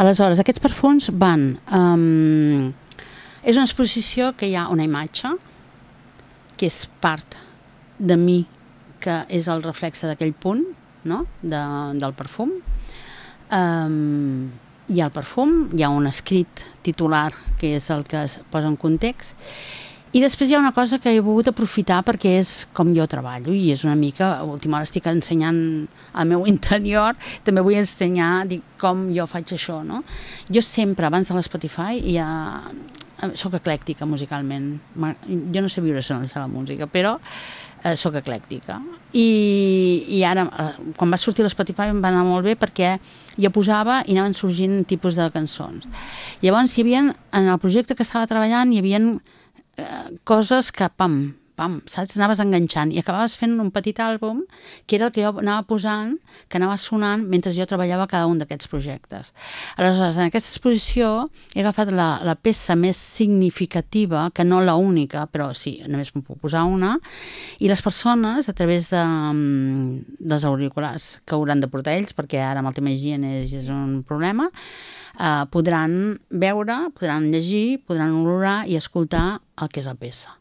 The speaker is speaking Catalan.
Aleshores, aquests perfums van... és una exposició que hi ha una imatge, que és part de mi, que és el reflexe d'aquell punt, no? Del perfum. Hi ha el perfum, hi ha un escrit titular, que és el que es posa en context, i després hi ha una cosa que he volgut aprofitar perquè és com jo treballo i és una mica, a última hora estic ensenyant el meu interior, també vull ensenyar com jo faig això, no? Jo sempre, abans de l'Spotify, soc eclèctica musicalment. Jo no sé viure sense la música, però soc eclèctica. I ara, quan va sortir l'Spotify em va anar molt bé perquè jo posava i anaven sorgint tipus de cançons. Llavors, en el projecte que estava treballant, hi havia coses que, saps, anaves enganxant i acabaves fent un petit àlbum que era el que jo anava posant, que anava sonant mentre jo treballava cada un d'aquests projectes. Aleshores, en aquesta exposició he agafat la peça més significativa, que no la única, però sí, només me'n puc posar una, i les persones, a través dels auriculars que hauran de portar ells, perquè ara amb el tema higiene és un problema, podran veure, podran llegir, podran olorar i escoltar el que és la peça.